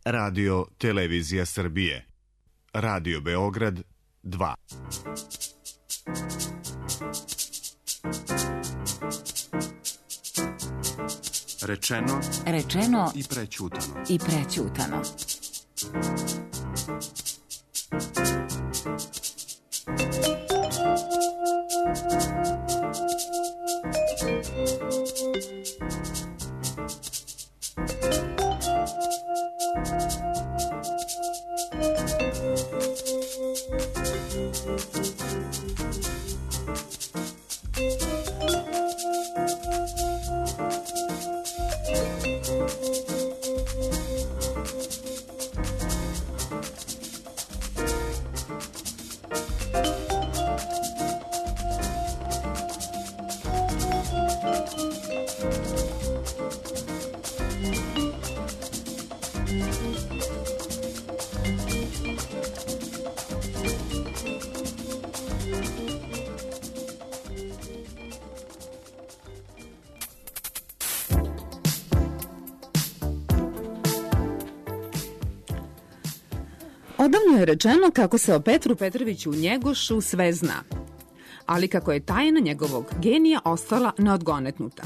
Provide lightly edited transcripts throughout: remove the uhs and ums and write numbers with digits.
Radio Televizija Srbije. Radio Beograd 2. Rečeno i prećutano. Odavno je rečeno kako se o Petru Petroviću Njegošu sve zna, ali kako je tajna njegovog genija ostala neodgonetnuta.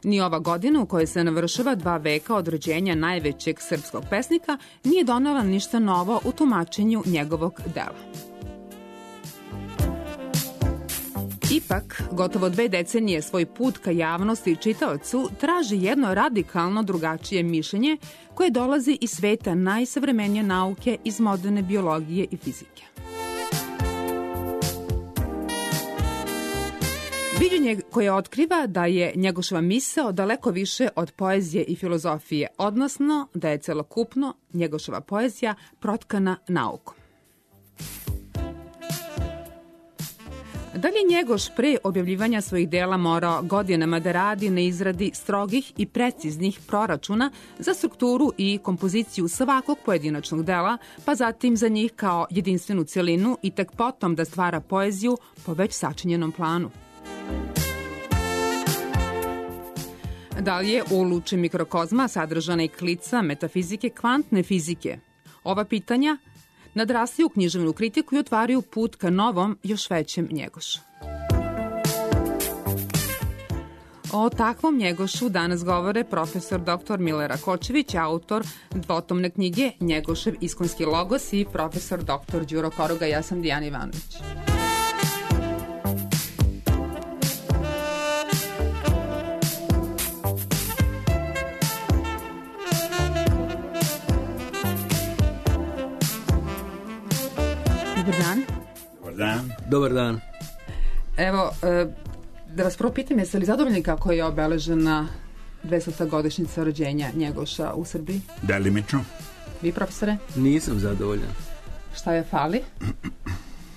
Ni ova godina u kojoj se navršava 2 veka od rođenja najvećeg srpskog pesnika nije donela ništa novo u tumačenju njegovog dela. Ipak, gotovo 2 decenije svoj put ka javnosti i čitaocu traži jedno radikalno drugačije mišljenje koje dolazi iz sveta najsavremenije nauke, iz moderne biologije i fizike. Viđenje koje otkriva da je Njegoševa misao daleko više od poezije i filozofije, odnosno da je celokupno Njegoševa poezija protkana naukom. Da li je Njegoš pre objavljivanja svojih dela morao godinama da radi na izradi strogih i preciznih proračuna za strukturu i kompoziciju svakog pojedinačnog dela, pa zatim za njih kao jedinstvenu celinu i tek potom da stvara poeziju po već sačinjenom planu? Da li je u luči mikrokozma sadržana i klica metafizike kvantne fizike? Ova pitanja nadrastaju u književnu kritiku i otvaraju put ka novom, još većem Njegošu. O takvom Njegošu danas govore profesor dr. Mile Rakočević, autor dvotomne knjige Njegošev iskonski logos, i profesor dr. Đuro Koroga. Ja sam Dijana Ivanović. Dobar dan. Dobar dan. Dobar dan. Evo, da vas prvo pitam, jeste li zadovoljni kako je obeležena 200. godišnjica rođenja Njegoša u Srbiji? Delimično. Vi, profesore? Nisam zadovoljan. Šta je fali?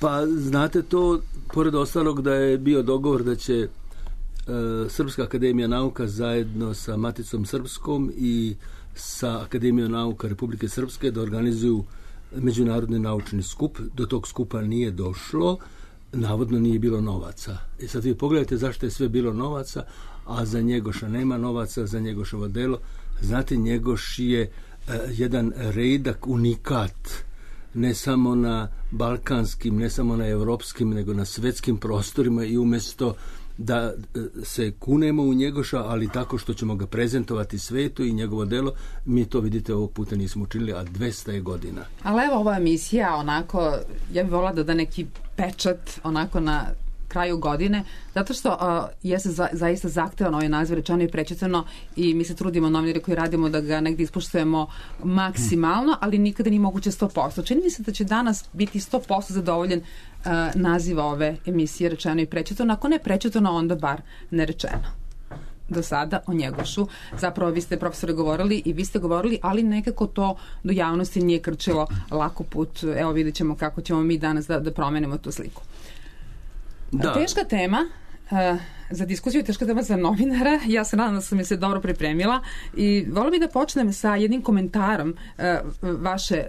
Pa, znate to, pored ostalog da je bio dogovor da će Srpska akademija nauka zajedno sa Maticom Srpskom i sa Akademijom nauka Republike Srpske da organizuju međunarodni naučni skup. Do tog skupa nije došlo, navodno nije bilo novaca. I sad vi pogledajte zašto je sve bilo novaca, a za Njegoša nema novaca, za Njegoševo delo. Znate, Njegoš je jedan redak, unikat, ne samo na balkanskim, ne samo na evropskim, nego na svetskim prostorima, i umesto da se kunemo u Njegoša, ali tako što ćemo ga prezentovati svetu i njegovo delo, mi to, vidite, ovog puta nismo učinili, a 200 je godina. Ali evo, ova emisija, onako, ja bih volila da da neki pečat onako na kraju godine, zato što jeste zaista zahtevano ovaj naziv Rečeno i prećutano, i mi se trudimo, novinari koji radimo, da ga negdje ispoštujemo maksimalno, ali nikada nije moguće 100%. Čini mi se da će danas biti 100% zadovoljen naziv ove emisije Rečeno i prećutano, ako ne prećutano, onda bar nerečeno. Do sada o Njegošu. Zapravo, vi ste, profesore, govorili i vi ste govorili, ali nekako to do javnosti nije krčilo lako put. Evo, vidjet ćemo kako ćemo mi danas da promenimo tu sliku. Da. Teška tema za diskusiju, teška tema za novinara. Ja se nadam da sam se dobro pripremila i volim bih da počnem sa jednim komentarom vaše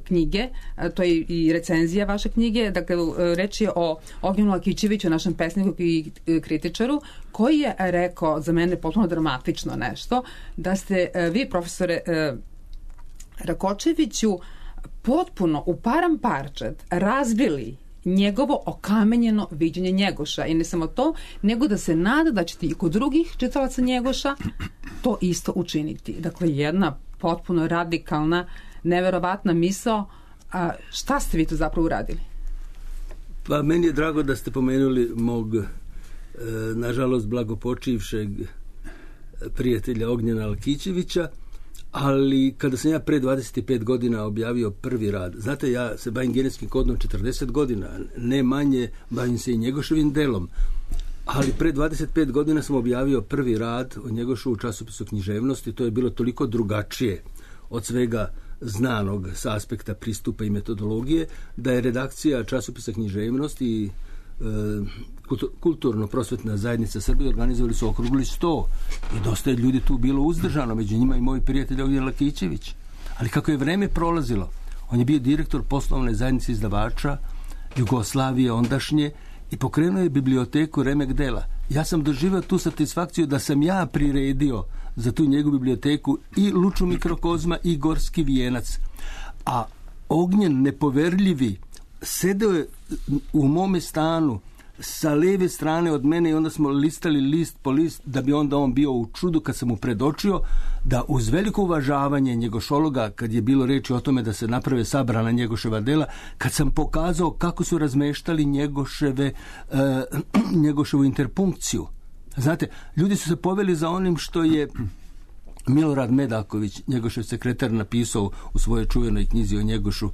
knjige, to je i recenzija vaše knjige. Dakle, reč je o Ognjenu Lakićeviću, našem pesniku i kritičaru, koji je rekao za mene potpuno dramatično nešto, da ste vi, profesore, Rakočeviću potpuno u param parčad razbili njegovo okamenjeno viđenje Njegoša. I ne samo to, nego da se nada da ćete i kod drugih čitalaca Njegoša to isto učiniti. Dakle, jedna potpuno radikalna, neverovatna misao. A šta ste vi tu zapravo uradili? Pa meni je drago da ste pomenuli mog, nažalost, blagopočivšeg prijatelja Ognjena Lakićevića, ali kada sam ja pre 25 godina objavio prvi rad, znate, ja se bavim genetskim kodom 40 godina, ne manje, bavim se i Njegoševim delom, ali pre 25 godina sam objavio prvi rad o Njegošu u časopisu Književnosti. To je bilo toliko drugačije od svega znanog sa aspekta pristupa i metodologije, da je redakcija časopisa Književnosti i kulturno-prosvetna zajednica Srbije organizovali su okrugli sto i dosta je ljudi tu bilo uzdržano, među njima i moj prijatelj Ognjen Lakićević. Ali kako je vreme prolazilo, on je bio direktor poslovne zajednice izdavača Jugoslavije ondašnje i pokrenuo je biblioteku Remek dela. Ja sam doživio tu satisfakciju da sam ja priredio za tu njegovu biblioteku i Luču mikrokozma i Gorski vijenac. A Ognjen nepoverljivi sedeo je u mome stanu sa leve strane od mene i onda smo listali list po list, da bi onda on bio u čudu kad sam mu predočio da uz veliko uvažavanje njegošologa, kad je bilo reči o tome da se naprave sabrana Njegoševa dela, kad sam pokazao kako su razmeštali Njegoševu interpunkciju. Znate, ljudi su se poveli za onim što je Milorad Medaković, Njegošev sekretar, napisao u svojoj čuvenoj knjizi o Njegošu.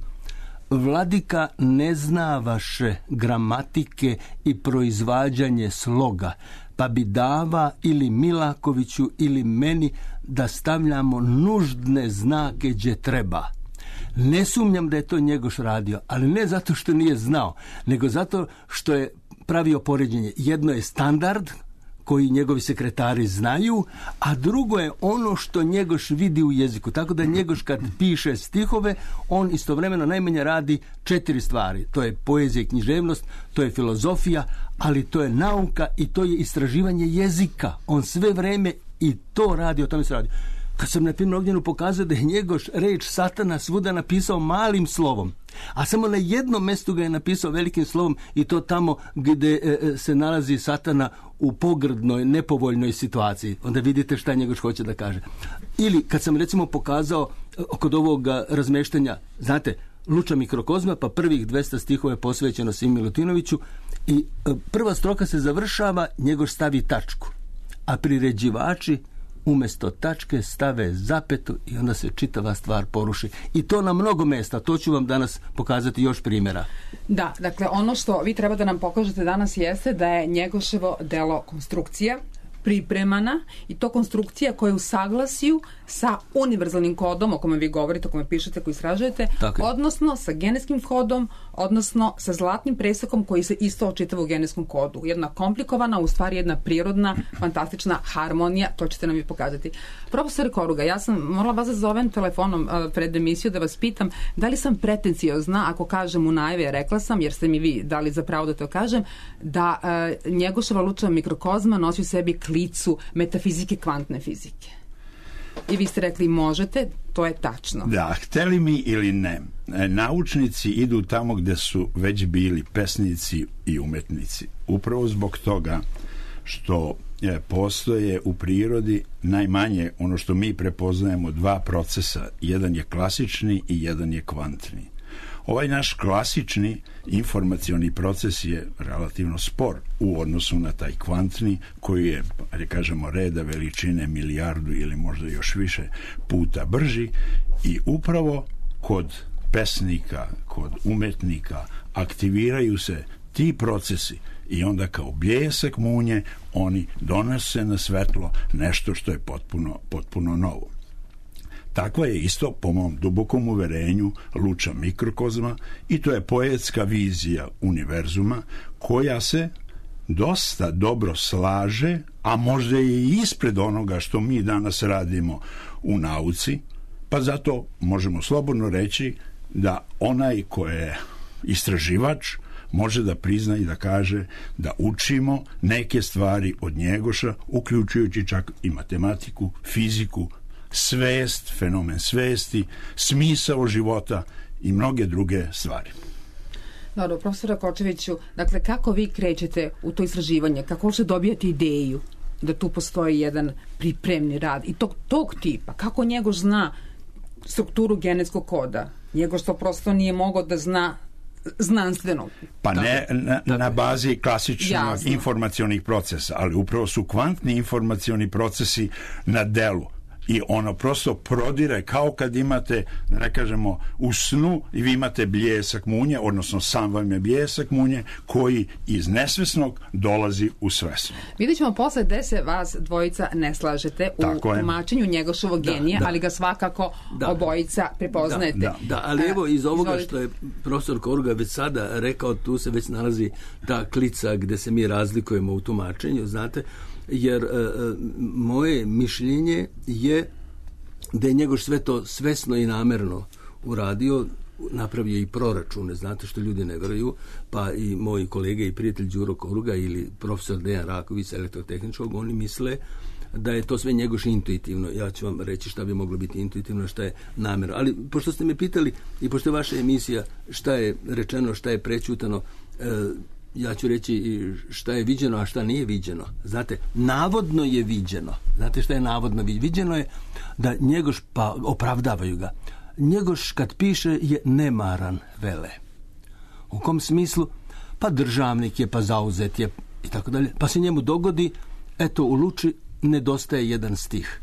Vladika ne zna vaše gramatike i proizvađanje sloga, pa bi dava ili Milakoviću ili meni da stavljamo nuždne znake gdje treba. Ne sumnjam da je to Njegoš radio, ali ne zato što nije znao, nego zato što je pravio poređenje. Jedno je standard koji njegovi sekretari znaju, a drugo je ono što Njegoš vidi u jeziku. Tako da Njegoš kad piše stihove, on istovremeno najmanje radi 4 stvari. To je poezija i književnost, to je filozofija, ali to je nauka i to je istraživanje jezika. On sve vreme i to radi, o tome se radi. Kad sam na primjer Ognjenu pokazao da je Njegoš reč satana svuda napisao malim slovom, a samo na jednom mjestu ga je napisao velikim slovom, i to tamo gdje se nalazi satana u pogrdnoj, nepovoljnoj situaciji. Onda vidite šta Njegoš hoće da kaže. Ili kad sam recimo pokazao kod ovog razmeštanja, znate, Luča mikrokozma, pa prvih 200 stihova je posvećeno Simi Milutinoviću i prva stroka se završava, Njegoš stavi tačku, a priređivači umjesto tačke stave zapetu i onda se čitava stvar poruši. I to na mnogo mjesta. To ću vam danas pokazati još primjera. Da, dakle, ono što vi treba da nam pokažete danas jeste da je Njegoševo delo konstrukcija pripremana, i to konstrukcija koja je u saglasju sa univerzalnim kodom o kome vi govorite, o kome pišete, koji istražujete, odnosno sa genetskim kodom, odnosno sa zlatnim presekom koji se isto očitava u genetskom kodu. Jedna komplikovana, u stvari jedna prirodna, fantastična harmonija, to ćete nam i pokazati. Profesor Koruga, ja sam morala vas da zovem telefonom pred emisiju da vas pitam da li sam pretenciozna ako kažem u najavi, rekla sam, jer ste mi vi dali za pravo da to kažem, da Njegoševa Luča mikrokozma nosi u sebi klicu metafizike kvantne fizike. I vi ste rekli možete, to je tačno. Da, hteli mi ili ne, naučnici idu tamo gde su već bili pesnici i umetnici. Upravo zbog toga što postoje u prirodi najmanje ono što mi prepoznajemo 2 procesa. Jedan je klasični i jedan je kvantni. Ovaj naš klasični informacioni proces je relativno spor u odnosu na taj kvantni, koji je, da kažemo, reda veličine milijardu ili možda još više puta brži, i upravo kod pesnika, kod umetnika aktiviraju se ti procesi i onda kao bljesak munje oni donose na svetlo nešto što je potpuno novo. Takva je isto, po mom dubokom uverenju, Luča mikrokozma, i to je poetska vizija univerzuma koja se dosta dobro slaže, a možda je i ispred onoga što mi danas radimo u nauci, pa zato možemo slobodno reći da onaj ko je istraživač može da prizna i da kaže da učimo neke stvari od Njegoša, uključujući čak i matematiku, fiziku, svest, fenomen svesti, smisao života i mnoge druge stvari. Dobro, profesora Kočeviću, dakle, kako vi krećete u to istraživanje? Kako se dobijate ideju da tu postoji jedan pripremni rad i tog tipa? Kako Njegoš zna strukturu genetskog koda? Njegoš to prosto nije mogao da zna znanstveno. Pa ne na bazi klasičnog informacionih procesa, ali upravo su kvantni informacioni procesi na delu. I ono prosto prodire kao kad imate, da ne kažemo, u snu i vi imate bljesak munje, odnosno sam vam je bljesak munje koji iz nesvesnog dolazi u svesno. Vidjet ćemo posle gde se vas dvojica ne slažete u tumačenju Njegošovog genija, ali ga svakako obojica prepoznajete. Da, ali evo iz ovoga što je profesor Koruga već sada rekao, tu se već nalazi ta klica gde se mi razlikujemo u tumačenju, znate, jer moje mišljenje je da je Njegoš sve to svesno i namerno uradio, napravio i proračune, znate što ljudi ne veruju, pa i moji kolege i prijatelj Đuro Koruga ili profesor Dejan Raković elektrotehničkog, oni misle da je to sve Njegoš intuitivno. Ja ću vam reći šta bi moglo biti intuitivno, šta je namjerno. Ali pošto ste me pitali i pošto je vaša emisija šta je rečeno, šta je prećutano, ja ću reći šta je viđeno, a šta nije viđeno. Znate, navodno je viđeno. Znate šta je navodno viđeno? Viđeno je da Njegoš, pa opravdavaju ga, Njegoš kad piše je nemaran, vele. U kom smislu? Pa državnik je, pa zauzet je i tako dalje. Pa se njemu dogodi, eto u Luči nedostaje jedan stih.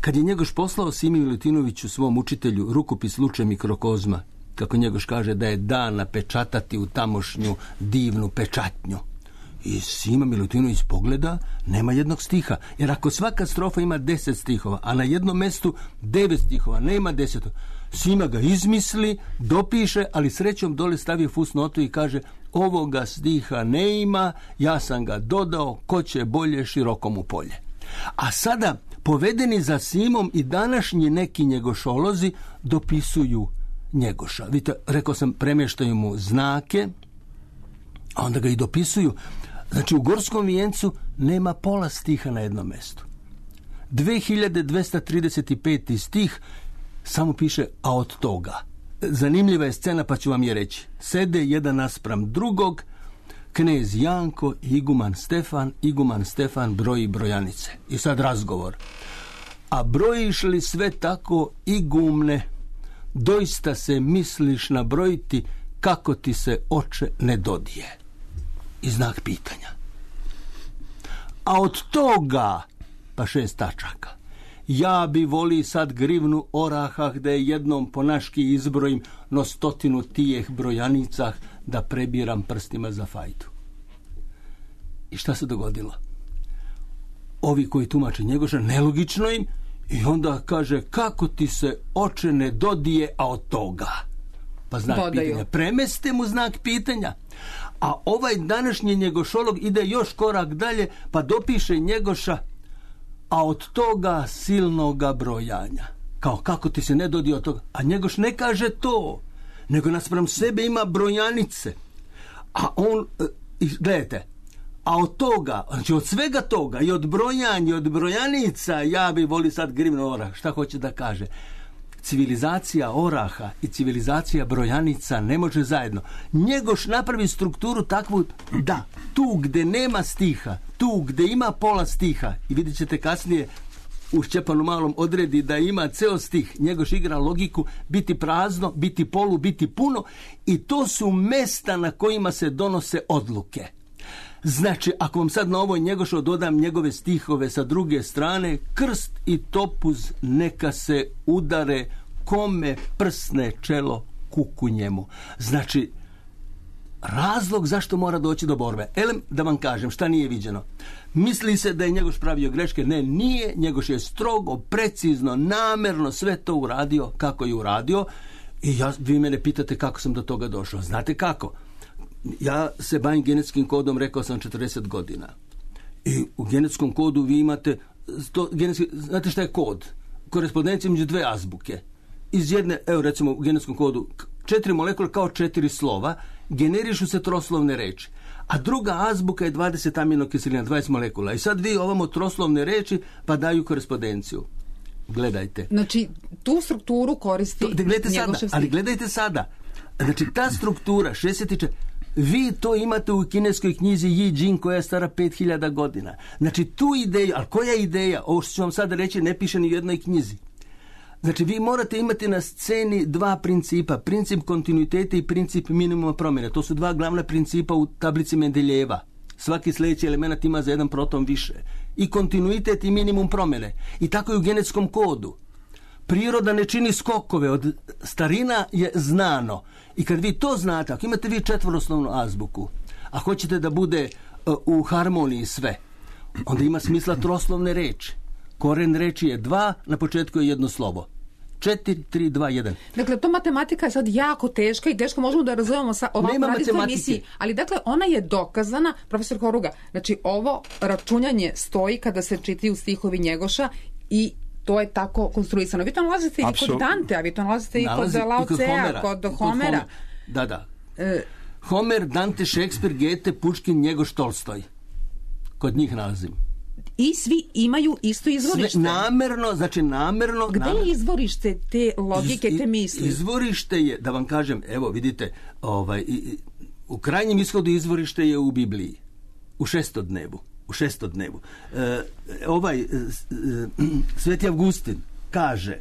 Kad je Njegoš poslao Simi Milutinoviću, svom učitelju, rukopis Luče mikrokozma, kako Njegoš kaže da je dan napečatati u tamošnju divnu pečatnju. I Sima Milutinović pogleda, nema jednog stiha. Jer ako svaka strofa ima 10 stihova, a na jednom mestu 9 stihova, nema 10. Sima ga izmisli, dopiše, ali srećom dole stavio fusnotu i kaže ovoga stiha ne ima, ja sam ga dodao, ko će bolje širokomu polje. A sada, povedeni za Simom i današnji neki njegošolozi dopisuju Njegoša. Vidite, rekao sam, premještaju mu znake, a onda ga i dopisuju. Znači, u Gorskom vijencu nema pola stiha na jednom mestu. 2235. stih samo piše, a od toga. Zanimljiva je scena, pa ću vam je reći. Sede jedan naspram drugog, knez Janko i iguman Stefan broji brojanice. I sad razgovor. A brojiš li sve tako, igumne, doista se misliš nabrojiti kako ti se oče ne dodije? I znak pitanja. A od toga, pa 6 tačaka, ja bi voli sad grivnu oraha gde jednom po naški izbrojim no 100 tijeh brojanicah da prebiram prstima za fajtu. I šta se dogodilo? Ovi koji tumače Njegoša, nelogično im, i onda kaže, kako ti se oče ne dodije, a od toga? Pa znak pitanja. Premeste mu znak pitanja. A ovaj današnji njegošolog ide još korak dalje, pa dopiše Njegoša, a od toga silnoga brojanja. Kao, kako ti se ne dodije od toga? A Njegoš ne kaže to, nego naspram sebe ima brojanice. A on, gledajte, a od toga, znači od svega toga, i od brojanja, i od brojanica, ja bi voli sad grivnu orah. Šta hoće da kaže? Civilizacija oraha i civilizacija brojanica ne može zajedno. Njegoš napravi strukturu takvu da tu gde nema stiha, tu gde ima pola stiha, i vidjet ćete kasnije u Šćepanu Malom odredi da ima ceo stih, Njegoš igra logiku, biti prazno, biti polu, biti puno, i to su mesta na kojima se donose odluke. Znači, ako vam sad na ovoj Njegošo dodam njegove stihove sa druge strane, krst i topuz neka se udare, kome prsne čelo kuku njemu. Znači, razlog zašto mora doći do borbe. Elem, da vam kažem šta nije viđeno. Misli se da je Njegoš pravio greške. Ne, nije. Njegoš je strogo, precizno, namerno sve to uradio kako je uradio. I vi mene pitate kako sam do toga došao. Znate kako? Ja se bavim genetskim kodom, rekao sam, 40 godina. I u genetskom kodu vi imate, znate šta je kod? Korespondencija među 2 azbuke. Iz jedne, evo recimo u genetskom kodu, 4 molekule kao 4 slova, generišu se troslovne reči. A druga azbuka je 20 aminokiselina, 20 molekula. I sad vi ovamo troslovne reči pa daju korespondenciju. Gledajte. Znači, tu strukturu koristi Njegošev stih. Ali gledajte sada. Znači, ta struktura, 64... Vi to imate u kineskoj knjizi Yi Jing koja je stara 5000 godina. Znači, tu ideju, ali koja je ideja? Ovo što ću vam sada reći ne piše ni u jednoj knjizi. Znači, vi morate imati na sceni dva principa. Princip kontinuiteta i princip minimuma promjene. To su dva glavna principa u tablici Mendeljeva. Svaki sljedeći element ima za jedan proton više. I kontinuitet i minimum promjene. I tako je u genetskom kodu. Priroda ne čini skokove, od starina je znano. I kad vi to znate, ako imate vi četvoroslovnu azbuku, a hoćete da bude u harmoniji sve, onda ima smisla troslovne reči. Koren reči je 2, na početku je jedno slovo. 4, 3, 2, 1. Dakle, to matematika je sad jako teška i teško možemo da razumemo sa ovakvom radijskoj emisiji. Ali dakle, ona je dokazana, profesor Horuga, znači ovo računjanje stoji kada se čitaju stihovi Njegoša i to je tako konstruisano. Vi to nalazite i kod Dante, a vi to nalazite i kod Laocea, kod Homera. Da. Homer, Dante, Šekspir, Goethe, Puškin, Njegoš, Tolstoj. Kod njih nalazim. I svi imaju isto izvorište. Namerno. Gde je izvorište te logike, te misli? Izvorište je, da vam kažem, evo vidite, u krajnjem ishodu izvorište je u Bibliji. U šestodnevu. Sveti Avgustin kaže,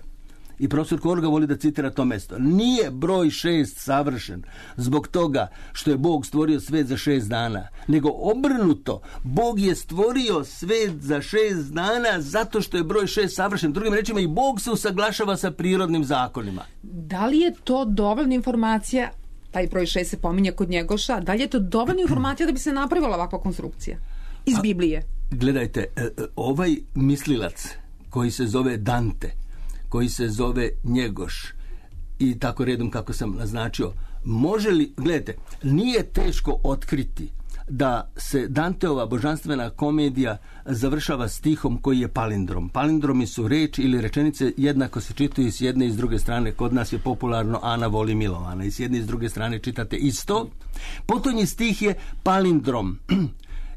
i profesor Korga voli da citira to mesto, nije broj 6 savršen zbog toga što je Bog stvorio svet za 6 dana, nego obrnuto, Bog je stvorio svet za 6 dana zato što je broj 6 savršen. Drugim rečima, i Bog se usaglašava sa prirodnim zakonima. Da li je to dovoljna informacija, taj broj 6 se pominje kod Njegoša, da li je to dovoljna informacija da bi se napravila ovakva konstrukcija iz Biblije? Gledajte, ovaj mislilac koji se zove Dante, koji se zove Njegoš i tako redom kako sam naznačio, može li, gledajte, nije teško otkriti da se Danteova božanstvena komedija završava stihom koji je palindrom. Palindromi su reč ili rečenice jednako se čitaju s jedne i s druge strane. Kod nas je popularno Ana voli Milovana i s jedne i s druge strane čitate isto. Potonji stih je palindrom.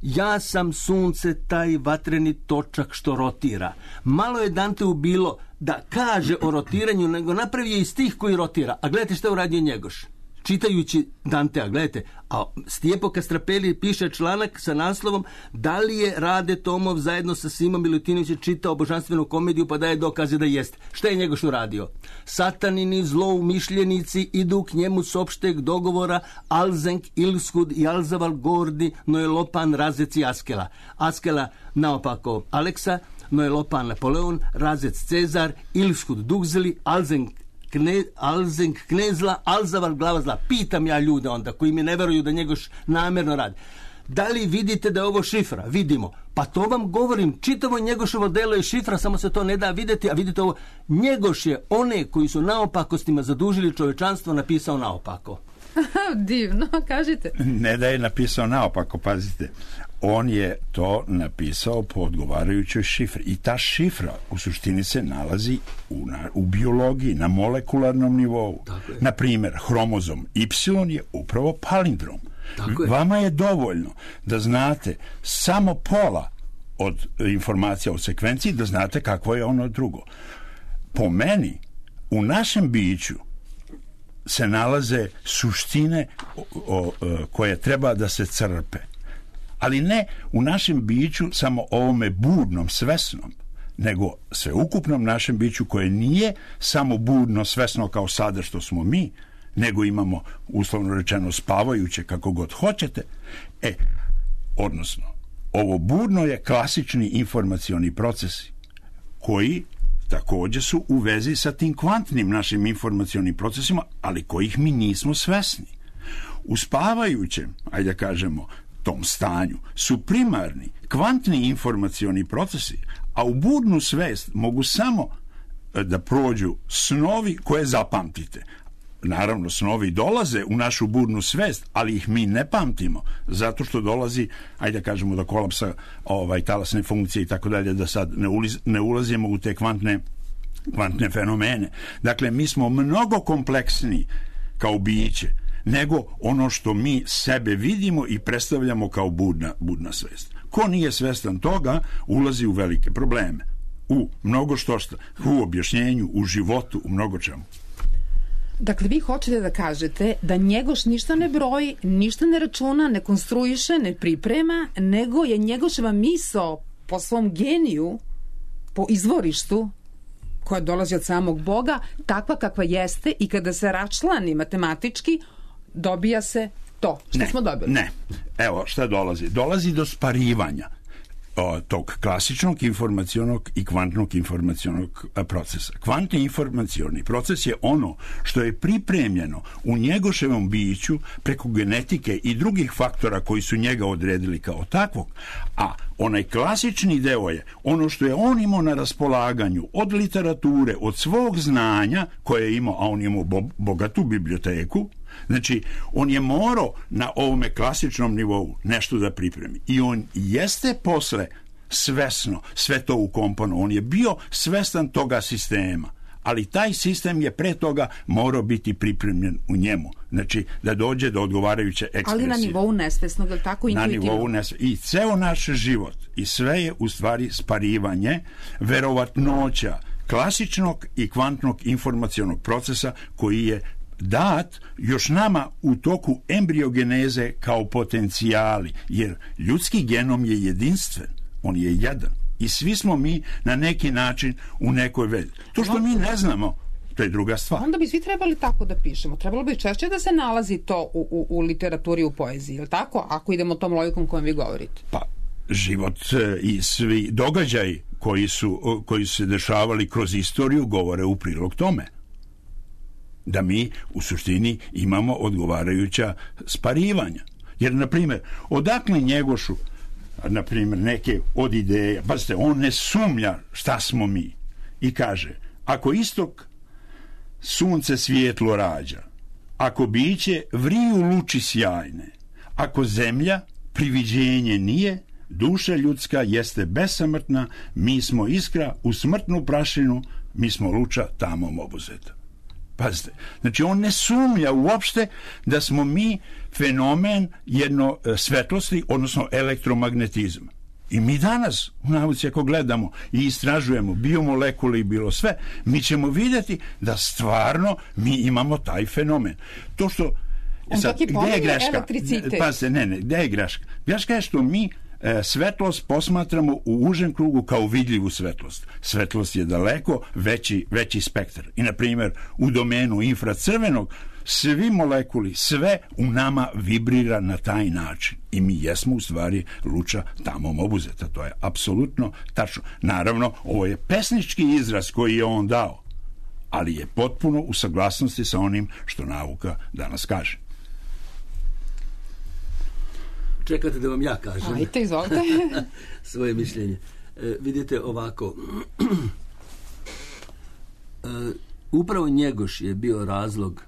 Ja sam sunce, taj vatreni točak što rotira. Malo je Danteu bilo da kaže o rotiranju, nego napravio i stih koji rotira. A gledajte što je uradio Njegoš. Čitajući Dantea, gledajte, a Stijepo Kastrapeli piše članak sa naslovom da li je Rade Tomov zajedno sa Simom Milutinovićem čitao božanstvenu komediju pa daje dokaze da jest. Šta je Njegoš uradio? Satanini zloumišljenici idu k njemu s opšteg dogovora Alzenk, Ilskud i Alzaval Gordi, Noelopan, Razec i Askela. Askela naopako Aleksa, Noelopan Napoleon, Razec Cezar, Ilskud Dugzeli, Alzenk Knezla, Alzaval glava zla. Pitam ja ljude onda koji mi ne veruju da Njegoš namjerno radi. Da li vidite da je ovo šifra? Vidimo. Pa to vam govorim, čitavo Njegoševo delo je šifra, samo se to ne da vidjeti, a vidite ovo, Njegoš je one koji su naopakostima zadužili čovečanstvo napisao naopako. Divno, kažite. Ne da je napisao naopako, pazite. On je to napisao po odgovarajućoj šifri. I ta šifra u suštini se nalazi u biologiji, na molekularnom nivou. Na primjer, hromozom Y je upravo palindrom. Vama je dovoljno da znate samo pola od informacija o sekvenciji, da znate kakvo je ono drugo. Po meni, u našem biću se nalaze suštine koje treba da se crpe. Ali ne u našem biću samo ovome budnom, svesnom, nego sveukupnom našem biću koje nije samo budno, svesno kao sada što smo mi, nego imamo, uslovno rečeno, spavajuće kako god hoćete. Odnosno, ovo budno je klasični informacioni procesi koji također su u vezi sa tim kvantnim našim informacionim procesima, ali kojih mi nismo svesni. U spavajućem, ajde da kažemo, tom stanju su primarni kvantni informacioni procesi, a u budnu svest mogu samo da prođu snovi koje zapamtite. Naravno, snovi dolaze u našu budnu svest, ali ih mi ne pamtimo, zato što dolazi, ajde da kažemo, do kolapsa talasne funkcije i tako dalje, da sad ne ulazimo u te kvantne fenomene. Dakle, mi smo mnogo kompleksniji kao biće nego ono što mi sebe vidimo i predstavljamo kao budna svest. Ko nije svestan toga, ulazi u velike probleme. u mnogo što, u objašnjenju, u životu, u mnogo čemu. Dakle, vi hoćete da kažete da Njegoš ništa ne broji, ništa ne računa, ne konstruiše, ne priprema, nego je Njegoševa misao po svom geniju, po izvorištu, koja dolazi od samog Boga, takva kakva jeste i kada se račlani matematički, dobija se to što smo dobili. Ne, evo šta dolazi. Dolazi do sparivanja tog klasičnog informacionog i kvantnog informacionog procesa. Kvantni informacioni proces je ono što je pripremljeno u Njegoševom biću preko genetike i drugih faktora koji su njega odredili kao takvog, a onaj klasični deo je ono što je on imao na raspolaganju od literature, od svog znanja koje je imao, a on je imao bogatu biblioteku. Znači, on je morao na ovome klasičnom nivou nešto da pripremi. I on jeste posle svesno sve to ukomponovao. On je bio svestan toga sistema. Ali taj sistem je pre toga morao biti pripremljen u njemu. Znači, da dođe do odgovarajuće ekspresije. Ali na nivou nesvesnog, ili tako intuitivno? Na nivou nesvesnog. I ceo naš život, i sve je u stvari sparivanje verovatnoća klasičnog i kvantnog informacionog procesa koji je dat još nama u toku embriogeneze kao potencijali, jer ljudski genom je jedinstven, on je jedan i svi smo mi na neki način u nekoj vezi. To što mi ne znamo, to je druga stvar. Onda bi svi trebali tako da pišemo. Trebalo bi češće da se nalazi to u literaturi, u poeziji, je li tako? Ako idemo tom logikom kojom vi govorite. Pa, život i svi događaji koji su se dešavali kroz istoriju govore u prilog tome. Da mi u suštini imamo odgovarajuća sparivanja. Jer, na primjer, odakle Njegošu, na primjer, neke od ideja, pazite, on ne sumnja šta smo mi i kaže, ako istok sunce svijetlo rađa, ako biće vriju luči sjajne, ako zemlja priviđenje nije, duša ljudska jeste besamrtna, mi smo iskra u smrtnu prašinu, mi smo luča tamom obuzeta. Pazite, znači on ne sumnja uopšte da smo mi fenomen jedno svetlosti, odnosno elektromagnetizma. I mi danas u nauci ako gledamo i istražujemo biomolekule i bilo sve, mi ćemo vidjeti da stvarno mi imamo taj fenomen. To što sad, gdje je greška? Pazite, gdje je greška? Greška je što mi svetlost posmatramo u užem krugu kao vidljivu svetlost. Svetlost je daleko veći spektar. I, na primjer, u domenu infracrvenog svi molekuli, sve u nama vibrira na taj način. I mi jesmo u stvari luča tamom obuzeta. To je apsolutno tačno. Naravno, ovo je pesnički izraz koji je on dao, ali je potpuno u saglasnosti sa onim što nauka danas kaže. Čekate da vam ja kažem. Ajde, izvolite. Svoje mišljenje. Vidite ovako. Upravo Njegoš je bio razlog,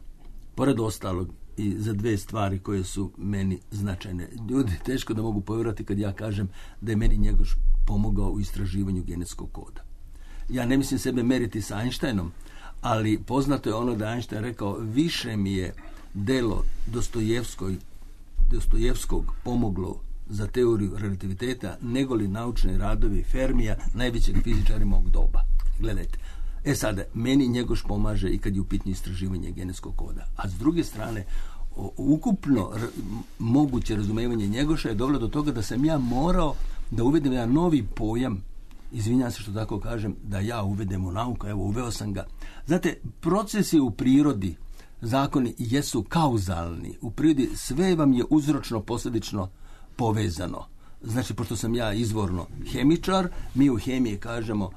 pored ostalog, i za dve stvari koje su meni značajne. Ljudi teško da mogu povjerovati kad ja kažem da je meni Njegoš pomogao u istraživanju genetskog koda. Ja ne mislim sebe meriti sa Einsteinom, ali poznato je ono da Einstein rekao, više mi je delo Dostojevskog pomoglo za teoriju relativiteta nego li naučne radovi Fermija, najvećeg fizičara mog doba. Gledajte, sada, meni Njegoš pomaže i kad je u pitanju istraživanje genetskog koda. A s druge strane, ukupno moguće razumevanje Njegoša je dovelo do toga da sam ja morao da uvedem jedan novi pojam, izvinjam se što tako kažem, da ja uvedem u nauku, evo uveo sam ga. Znate, procesi u prirodi, zakoni jesu kauzalni. U prirodi sve vam je uzročno posljedično povezano. Znači, pošto sam ja izvorno hemičar, mi u hemiji kažemo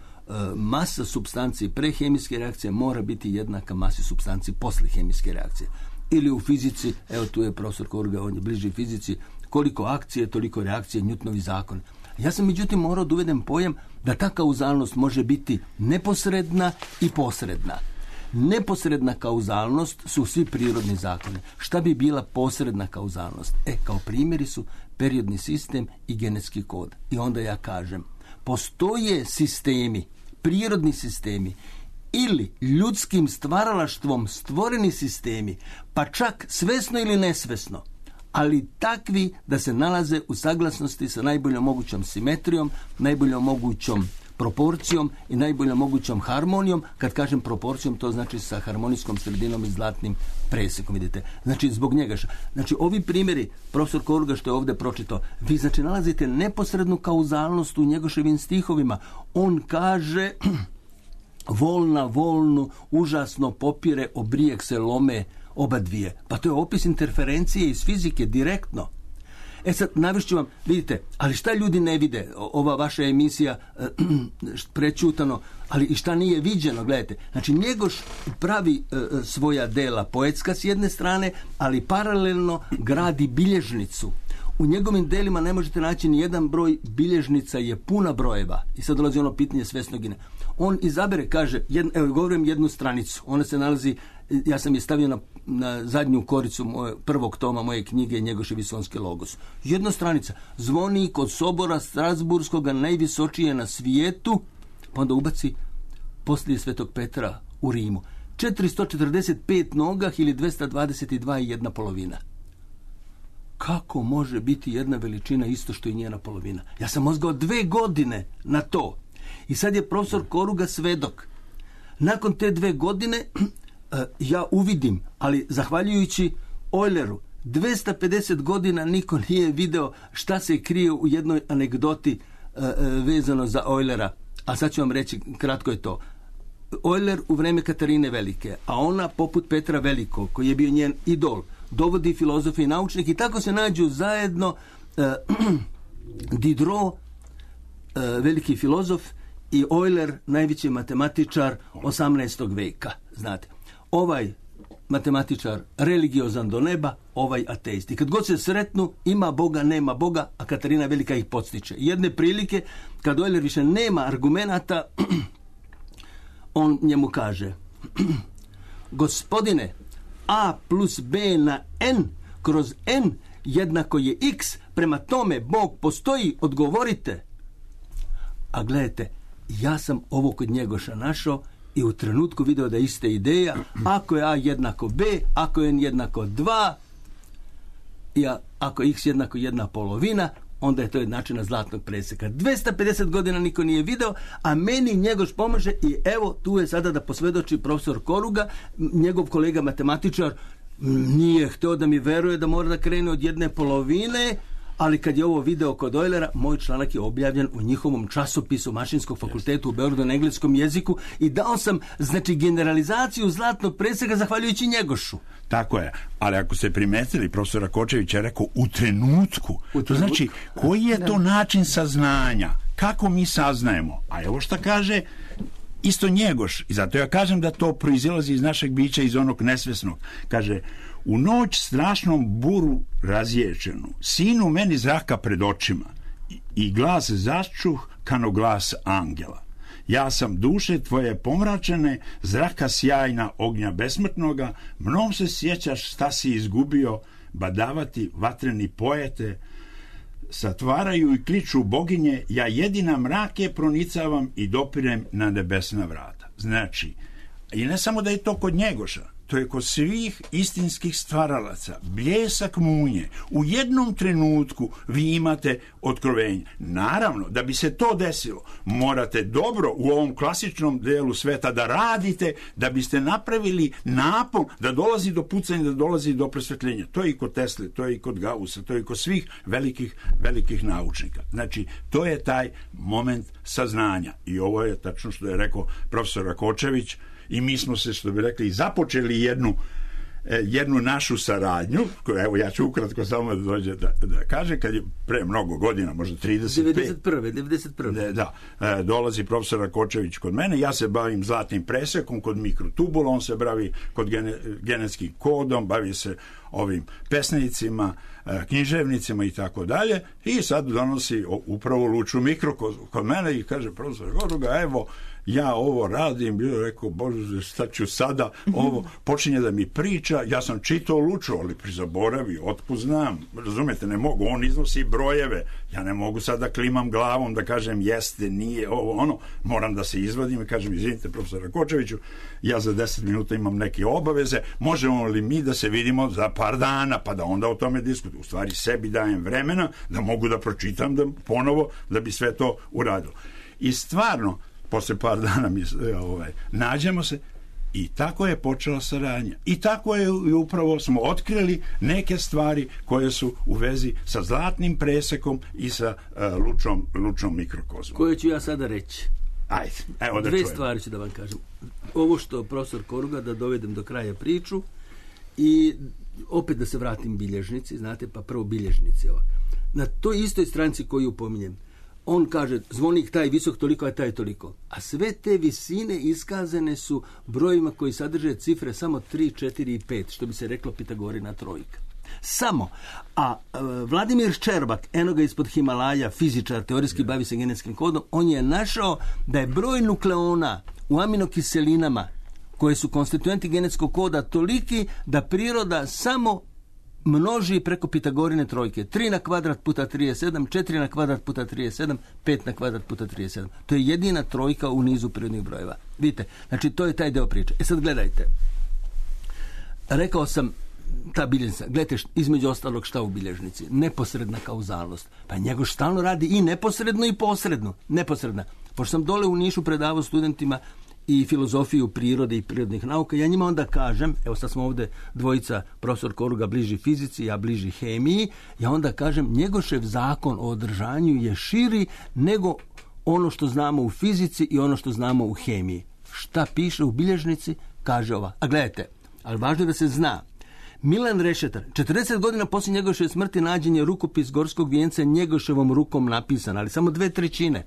masa supstanci pre hemijske reakcije mora biti jednaka masi supstanci posle hemijske reakcije. Ili u fizici, evo tu je profesor Korga, on je bliži fizici, koliko akcije, toliko reakcije, Newtonovi zakon. Ja sam međutim morao da uvedem pojam da ta kauzalnost može biti neposredna i posredna. Neposredna kauzalnost su svi prirodni zakoni. Šta bi bila posredna kauzalnost? Kao primjeri su periodni sistem i genetski kod. I onda ja kažem, postoje sistemi, prirodni sistemi ili ljudskim stvaralaštvom stvoreni sistemi, pa čak svesno ili nesvesno, ali takvi da se nalaze u saglasnosti sa najboljom mogućom simetrijom, najboljom mogućom proporcijom i najboljom mogućom harmonijom. Kad kažem proporcijom, to znači sa harmonijskom sredinom i zlatnim presekom, vidite. Znači, zbog njega. Znači, ovi primjeri, profesor Koruga što je ovdje pročitao, vi znači nalazite neposrednu kauzalnost u Njegoševim stihovima. On kaže volna volnu užasno popire, obrijek se lome oba dvije. Pa to je opis interferencije iz fizike direktno. Sad, navešću vam, vidite, ali šta ljudi ne vide, ova vaša emisija prečutano, ali i šta nije viđeno, gledajte. Znači, Njegoš pravi svoja dela poetska s jedne strane, ali paralelno gradi bilježnicu. U njegovim delima ne možete naći ni jedan broj, bilježnica je puna brojeva. I sad dolazi ono pitanje svesnogine. On izabere, kaže, evo, govorim jednu stranicu, ona se nalazi, ja sam je stavio na zadnju koricu prvog toma moje knjige Njegošev Visonski logos. Jedna stranica. Zvonik od sobora Strasburskoga najvisočije na svijetu, pa onda ubaci poslije Svetog Petra u Rimu. 445 nogah ili 222 i jedna polovina. Kako može biti jedna veličina isto što i njena polovina? Ja sam mozgao 2 godine na to. I sad je profesor Koruga svedok. Nakon te 2 godine ja uvidim, ali zahvaljujući Euleru, 250 godina niko nije video šta se krije u jednoj anegdoti vezano za Eulera. A sad ću vam reći, kratko je to. Euler u vreme Katarine Velike, a ona poput Petra Velikog, koji je bio njen idol, dovodi filozofe i naučnike i tako se nađu zajedno Diderot, veliki filozof, i Euler, najveći matematičar 18. veka. Znate, ovaj matematičar religiozan do neba, ovaj ateist. I kad god se sretnu, ima Boga, nema Boga, a Katarina Velika ih podstiče. Jedne prilike, kad Euler više nema argumenata, on njemu kaže: gospodine, a plus b na n kroz n jednako je x, prema tome Bog postoji, odgovorite. A gledajte, ja sam ovo kod Njegoša našao i u trenutku video da je ista ideja. Ako je a jednako b, ako je n jednako 2, i ako je x jednako 1/2, onda je to jednačina zlatnog preseka. 250 godina niko nije video, a meni Njegoš pomaže i evo tu je sada da posvjedoči profesor Koruga, njegov kolega matematičar nije htio da mi veruje da mora da krene od 1/2, ali kad je ovo video kod Eulera, moj članak je objavljen u njihovom časopisu Mašinskog fakulteta u Beogradu na engleskom jeziku i dao sam, znači, generalizaciju zlatnog preseka zahvaljujući Njegošu. Tako je, ali ako ste primetili, profesor Rakočević je rekao u trenutku. To znači, koji je to način saznanja? Kako mi saznajemo? A evo šta kaže isto Njegoš, i zato ja kažem da to proizilazi iz našeg bića, iz onog nesvesnog. Kaže: u noć strašnom buru razječenu, sinu meni zraka pred očima i glas začuh kano glas angela. Ja sam duše tvoje pomračene, zraka sjajna ognja besmrtnoga, mnom se sjećaš šta si izgubio, badavati vatreni poete, satvaraju i kliču boginje, ja jedina mrake pronicavam i dopirem na nebesna vrata. Znači, i ne samo da je to kod Njegoša, to je kod svih istinskih stvaralaca, bljesak munje. U jednom trenutku vi imate otkrovenje. Naravno, da bi se to desilo, morate dobro u ovom klasičnom delu sveta da radite, da biste napravili napon, da dolazi do pucanja, da dolazi do prosvetljenja. To je i kod Tesle, to je i kod Gaussa, to je i kod svih velikih naučnika. Znači, to je taj moment saznanja. I ovo je tačno što je rekao profesor Rakočević. I mi smo se, što bi rekli, započeli jednu našu saradnju, koju, evo, ja ću ukratko samo da dođe da kaže, kad je pre mnogo godina, možda 35. 91. Da, dolazi profesor Rakočević kod mene, ja se bavim zlatnim presekom kod mikrotubula, on se bavi kod genetskim kodom, bavi se ovim pesnicima, književnicima i tako dalje, i sad donosi upravo Luču Mikro kod mene i kaže: profesor Koruga, evo, ja ovo radim. Bio rekao: bože, šta ću sada, ovo počinje da mi priča, ja sam čitao Luču, ali prizaboravio, otkud znam, razumete, ne mogu, on iznosi brojeve, ja ne mogu sada da klimam glavom, da kažem jeste, nije, ovo, ono, moram da se izvadim i kažem: izvinite, profesor Rakočeviću, ja za 10 minuta imam neke obaveze, možemo li mi da se vidimo za par dana, pa da onda o tome diskutujem. U stvari sebi dajem vremena da mogu da pročitam da ponovo, da bi sve to uradilo. I stvarno, posle par dana nađemo se i tako je počela saradnja. I tako je upravo smo otkrili neke stvari koje su u vezi sa zlatnim presekom i sa lučnom mikrokozmom. Koje ću ja sada reći? Ajde, evo da Dve čujem. stvari ću da vam kažem. Ovo što profesor Koruga, da dovedem do kraja priču i opet da se vratim bilježnici, znate, pa prvo bilježnici. Na toj istoj stranici koju pominjem, on kaže zvonik taj visok toliko, a taj toliko. A sve te visine iskazane su brojima koji sadrže cifre samo 3, 4 i 5, što bi se reklo Pitagorina trojka. Samo. A Vladimir Ščerbat, eno ga ispod Himalaja, fizičar, teorijski bavi se genetskim kodom, on je našao da je broj nukleona u aminokiselinama koje su konstituenti genetskog koda toliki da priroda samo množi preko Pitagorine trojke. 3 na kvadrat puta 37, 4 na kvadrat puta 37, 5 na kvadrat puta 37. To je jedina trojka u nizu prirodnih brojeva. Vidite, znači to je taj deo priče. Sad gledajte. Rekao sam, ta bilježnica, gledajte između ostalog šta u bilježnici. Neposredna kauzalnost. Pa Njegoš stalno radi i neposredno i posredno. Neposredna. Pošto sam dole u Nišu predavao studentima i filozofiju prirode i prirodnih nauka, ja njima onda kažem, evo sad smo ovdje dvojica, profesor Koruga bliži fizici, ja bliži hemiji, ja onda kažem, Njegošev zakon o održanju je širi nego ono što znamo u fizici i ono što znamo u hemiji. Šta piše u bilježnici? Kaže ova. A gledajte, ali važno je da se zna. Milan Rešetar, 40 godina poslije Njegoševe smrti nađen je rukopis Gorskog vijenca Njegoševom rukom napisan, ali samo 2/3.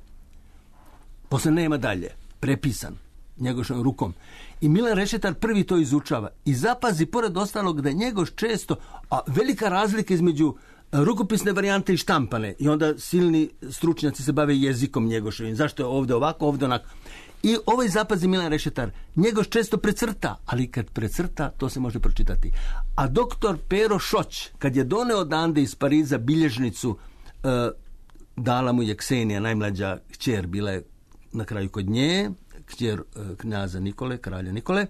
Posle nema dalje. Prepisan Njegoševom rukom. I Milan Rešetar prvi to izučava. I zapazi, pored ostalog, da Njegoš često, a velika razlika između rukopisne varijante i štampane. I onda silni stručnjaci se bave jezikom Njegoševim. Zašto je ovdje ovako, ovdje onako. I ovaj zapazi Milan Rešetar, Njegoš često precrta, ali kad precrta, to se može pročitati. A doktor Pero Šoć, kad je doneo odande iz Pariza bilježnicu, dala mu je Ksenija, najmlađa kćer, bila je na kraju kod nje, kćer knjaza Nikole, kralja Nikole.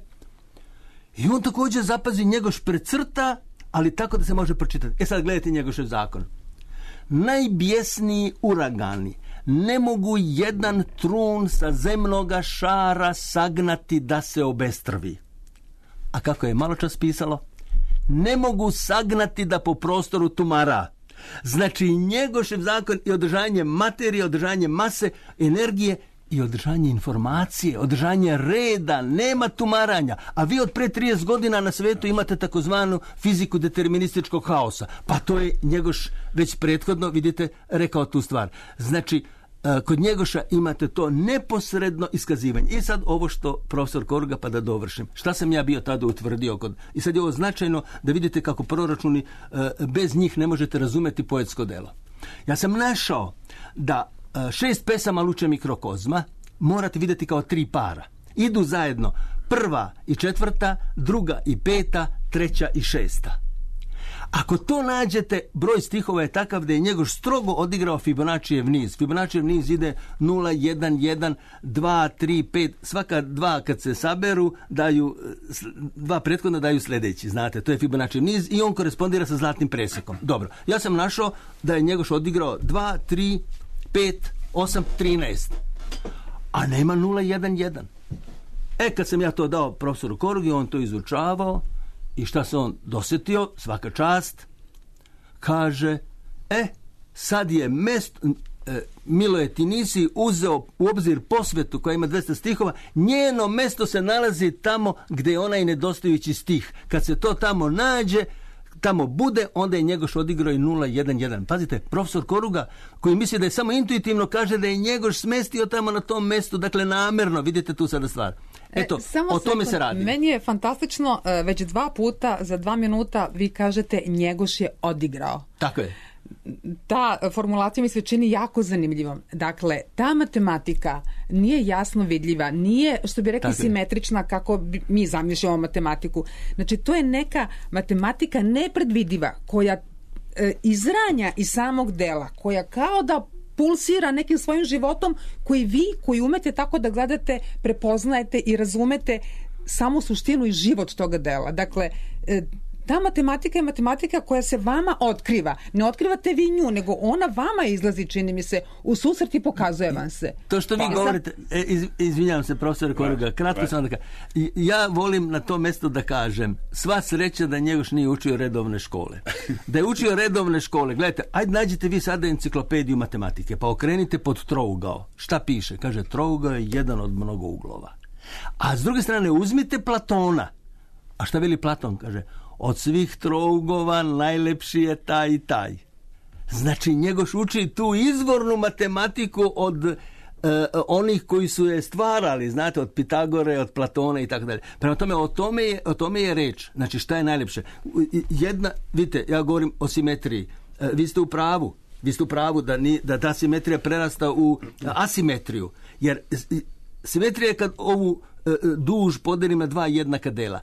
I on također zapazi, Njegoš precrta, ali tako da se može pročitati. Sad gledajte Njegošev zakon. Najbjesniji uragani ne mogu jedan trun sa zemnoga šara sagnati da se obestrvi. A kako je malo čas pisalo? Ne mogu sagnati da po prostoru tumara. Znači Njegošev zakon i održanje materije, održanje mase, energije i održanje informacije, održanje reda, nema tumaranja. A vi od pre 30 godina na svetu imate takozvanu fiziku determinističkog haosa. Pa to je Njegoš već prethodno, vidite, rekao tu stvar. Znači, kod Njegoša imate to neposredno iskazivanje. I sad ovo što profesor Koruga, pa da dovršim. Šta sam ja bio tada utvrdio? I sad je ovo značajno da vidite kako proračuni, bez njih ne možete razumeti poetsko delo. Ja sam našao da 6 pesama Luče mikrokozma morate vidjeti kao 3 para. Idu zajedno 1. i 4., 2. i 5., 3. i 6. Ako to nađete, broj stihova je takav da je Njegoš strogo odigrao Fibonaccijev niz. Fibonaccijev niz ide 0, 1, 1, 2, 3, 5. Svaka 2 kad se saberu, daju 2 prethodno daju sljedeći. Znate, to je Fibonaccijev niz i on korespondira sa zlatnim presekom. Dobro, ja sam našao da je Njegoš odigrao 2, 3, 5, 8, 13. A nema 0, 1, 1. Kad sam ja to dao profesoru Korugi, on to izučavao i šta se on dosjetio, svaka čast, kaže, sad je Miloje, ti nisi uzeo u obzir posvetu koja ima 200 stihova, njeno mesto se nalazi tamo gdje je onaj nedostajući stih. Kad se to tamo nađe, tamo bude, onda je Njegoš odigrao i 0, 1, 1. Pazite, profesor Koruga, koji misli da je samo intuitivno, kaže da je Njegoš smestio tamo na tom mestu, dakle namerno, vidite tu sada stvar. Eto, o tome se radi. Meni je fantastično, već 2 puta za 2 minuta vi kažete Njegoš je odigrao. Tako je. Ta formulacija mi se čini jako zanimljivom. Dakle, ta matematika nije jasno vidljiva, nije, što bi rekli, simetrična kako mi zamišljamo matematiku. Znači, to je neka matematika nepredvidiva koja izranja iz samog dela, koja kao da pulsira nekim svojim životom koji vi, koji umete tako da gledate, prepoznajete i razumete samu suštinu i život toga dela. Dakle, ta matematika je matematika koja se vama otkriva. Ne otkrivate vi nju, nego ona vama izlazi, čini mi se, u susret i pokazuje vam se. To što vi govorite, izvinjavam se, profesor Koruga, kratko sam da kažem. Ja volim na to mjesto da kažem, sva sreća da Njegoš nije učio redovne škole. Da je učio redovne škole, gledajte, ajde nađite vi sada enciklopediju matematike, pa okrenite pod trougao. Šta piše? Kaže, trougao je jedan od mnogo uglova. A s druge strane, uzmite Platona. A šta veli Platon? Kaže, od svih trougova najlepši je taj i taj. Znači, Njegoš uči tu izvornu matematiku od onih koji su je stvarali, znate, od Pitagore, od Platona i tako dalje. Prema tome, o tome je reč. Znači, šta je najlepše? Vidite, ja govorim o simetriji. Vi ste u pravu. Da ta simetrija prerasta u asimetriju. Jer simetrija je kad ovu duž podelim na dva jednaka dela.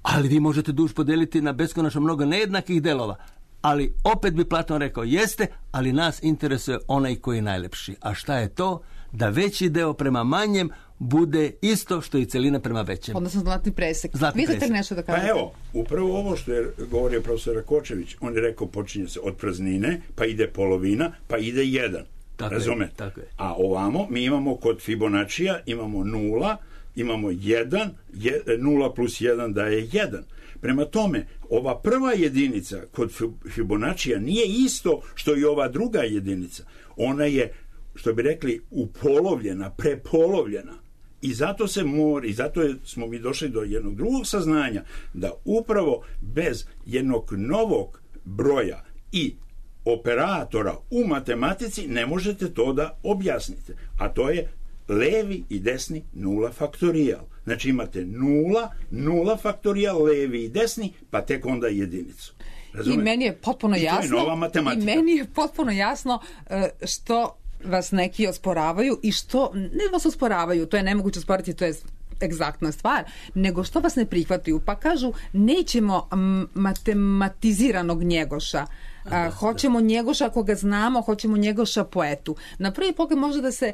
Ali vi možete duž podeliti na beskonačno mnogo nejednakih delova. Ali opet bi Platon rekao, jeste, ali nas interesuje onaj koji je najlepši. A šta je to? Da veći deo prema manjem bude isto što i celina prema većem. Odnosno zlatni presek. Vi ste nešto da kažete? Pa evo, upravo ovo što je govorio profesor Rakočević, on je rekao počinje se od praznine, pa ide polovina, pa ide 1. Razumete? Tako je. A ovamo mi imamo kod Fibonaccija, imamo 0, imamo 1, 0 plus 1 daje 1. Prema tome, ova prva jedinica kod Fibonaccija nije isto što i ova druga jedinica. Ona je, što bi rekli, upolovljena, prepolovljena. I zato smo mi došli do jednog drugog saznanja, da upravo bez jednog novog broja i operatora u matematici ne možete to da objasnite. A to je levi i desni nula faktorijal. Znači imate nula faktorijal, levi i desni, pa tek onda jedinicu. Razumete? I meni je potpuno jasno. I to je nova matematika. I meni je potpuno jasno što vas neki osporavaju i što ne vas osporavaju, to je nemoguće osporiti, to je egzaktna stvar, nego što vas ne prihvataju, pa kažu nećemo matematiziranog Njegoša. Hoćemo Njegoša koga znamo, hoćemo Njegoša poetu. Na prvi pogled može da se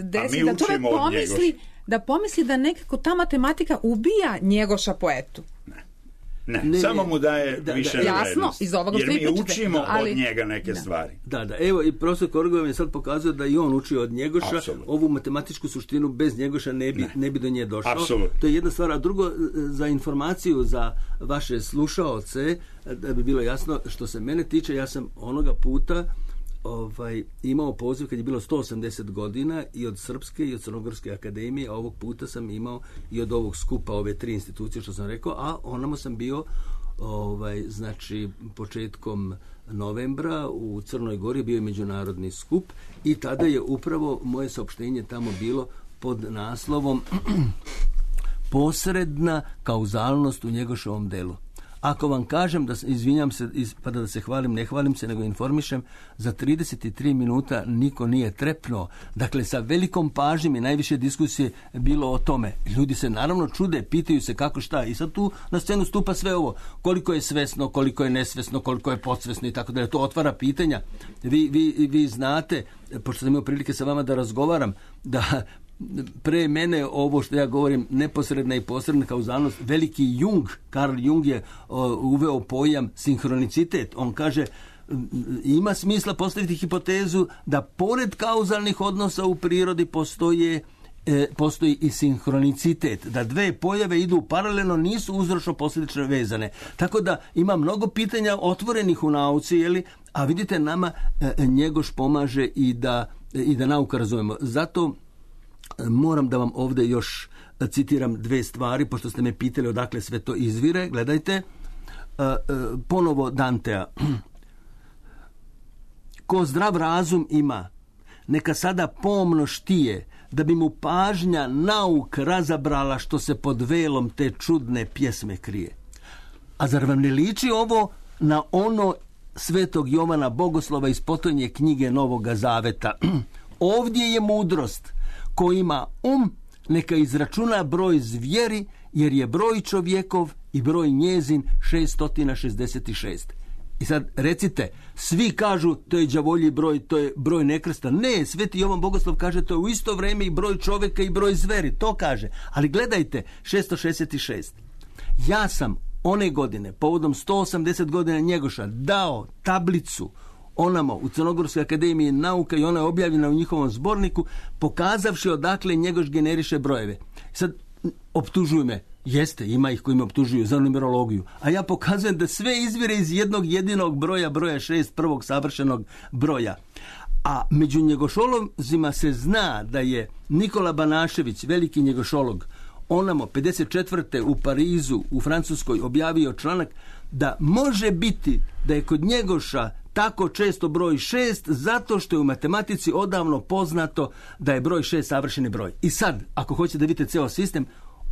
desi da čovjek pomisli da nekako ta matematika ubija Njegoša poetu. Ne, samo mu daje više jasno, iz ovoga što jer mi učimo od njega neke stvari. Evo, i profesor Korgov je sad pokazao da i on uči od Njegoša. Absolutno. Ovu matematičku suštinu bez Njegoša ne bi do nje došao. Absolutno. To je jedna stvar. A drugo, za informaciju za vaše slušaoce, da bi bilo jasno, što se mene tiče, ja sam onoga puta imao poziv kad je bilo 180 godina i od Srpske i od Crnogorske akademije, a ovog puta sam imao i od ovog skupa, ove 3 institucije što sam rekao, a onamo sam bio znači početkom novembra u Crnoj Gori, bio je međunarodni skup i tada je upravo moje saopštenje tamo bilo pod naslovom posredna kauzalnost u Njegoševom delu. Ako vam kažem, izvinjam se, ispada da se hvalim, ne hvalim se, nego informišem, za 33 minuta niko nije trepnuo. Dakle, sa velikom pažnjom i najviše diskusije bilo o tome. Ljudi se naravno čude, pitaju se kako šta. I sad tu na scenu stupa sve ovo. Koliko je svesno, koliko je nesvesno, koliko je podsvesno i tako da. To otvara pitanja. Vi znate, pošto sam imao prilike sa vama da razgovaram, da pre mene ovo što ja govorim neposredna i posredna kauzalnost, veliki Jung, Carl Jung je uveo pojam sinhronicitet. On kaže, ima smisla postaviti hipotezu da pored kauzalnih odnosa u prirodi postoji i sinhronicitet, da dve pojave idu paralelno, nisu uzročno-posljedično vezane. Tako da ima mnogo pitanja otvorenih u nauci, a vidite, nama Njegoš pomaže i da nauka razumemo. Zato moram da vam ovdje još citiram 2 stvari, pošto ste me pitali odakle sve to izvire. Gledajte, ponovo Dantea. Ko zdrav razum ima, neka sada pomno štije, da bi mu pažnja nauk razabrala što se pod velom te čudne pjesme krije. A zar vam ne liči ovo na ono Svetog Jovana Bogoslova iz potonje knjige Novoga Zaveta? Ovdje je mudrost. Ko ima neka izračuna broj zvijeri, jer je broj čovjekov i broj njezin 666. I sad recite, svi kažu to je đavolji broj, to je broj nekrsta. Ne, Sveti Jovan Bogoslov kaže to je u isto vrijeme i broj čovjeka i broj zveri. To kaže. Ali gledajte, 666. Ja sam one godine, povodom 180 godina Njegoša, dao tablicu onamo u Crnogorskoj akademiji nauka i ona je objavljena u njihovom zborniku, pokazavši odakle Njegoš generiše brojeve. Sad, optužuju me. Jeste, ima ih koji me optužuju za numerologiju. A ja pokazujem da sve izvire iz jednog jedinog broja 6, prvog savršenog broja. A među njegošolozima se zna da je Nikola Banašević, veliki njegošolog, onamo 54. u Parizu, u Francuskoj, objavio članak da može biti da je kod Njegoša tako često broj 6 zato što je u matematici odavno poznato da je broj 6 savršeni broj. I sad, ako hoćete da vidite ceo sistem,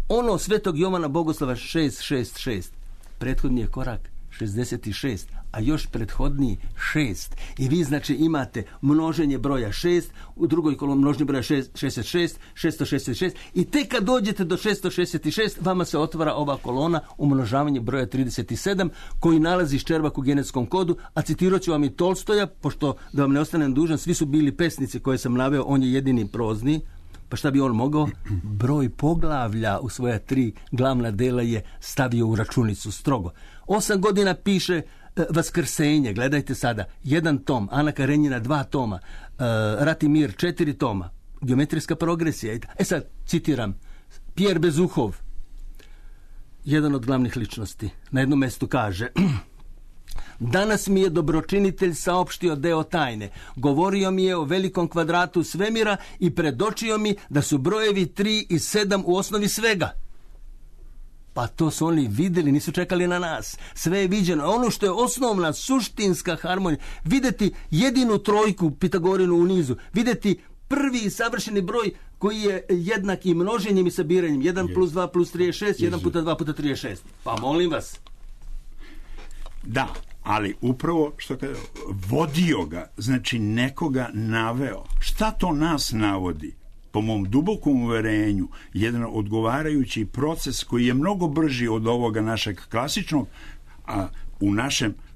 ono Svetog Jovana Bogoslava 666, prethodni je korak 66, a još prethodniji 6. I vi znači imate množenje broja 6, u drugoj koloni množenje broja 66, 666 i tek kad dođete do 666 vama se otvara ova kolona umnožavanje broja 37 koji nalazi Ščerbak u genetskom kodu, a citirat ću vam i Tolstoja, pošto da vam ne ostanem dužan, svi su bili pesnici koje sam naveo, on je jedini prozni. Pa šta bi on mogao? Broj poglavlja u svoja 3 glavna dela je stavio u računicu strogo. 8 godina piše Vaskrsenje, gledajte sada, 1 tom, Ana Karenjina 2 toma, Rat i mir 4 toma, geometrijska progresija. Sad, citiram, Pierre Bezukhov, jedan od glavnih ličnosti, na jednom mjestu kaže: danas mi je dobročinitelj saopštio deo tajne. Govorio mi je o velikom kvadratu svemira i predočio mi da su brojevi 3 i 7 u osnovi svega. Pa to su oni vidjeli, nisu čekali na nas. Sve je viđeno. Ono što je osnovna, suštinska harmonija, vidjeti jedinu trojku Pitagorinu u nizu, vidjeti prvi savršeni broj koji je jednak i množenjem i sabiranjem. 1 plus 2 plus 3 je 6, 1 puta 2 puta 3 je 6. Pa molim vas. Da, ali upravo što kaže, vodio ga, znači nekoga naveo. Šta to nas navodi? Po mom dubokom uverenju, jedan odgovarajući proces koji je mnogo brži od ovoga našeg klasičnog, a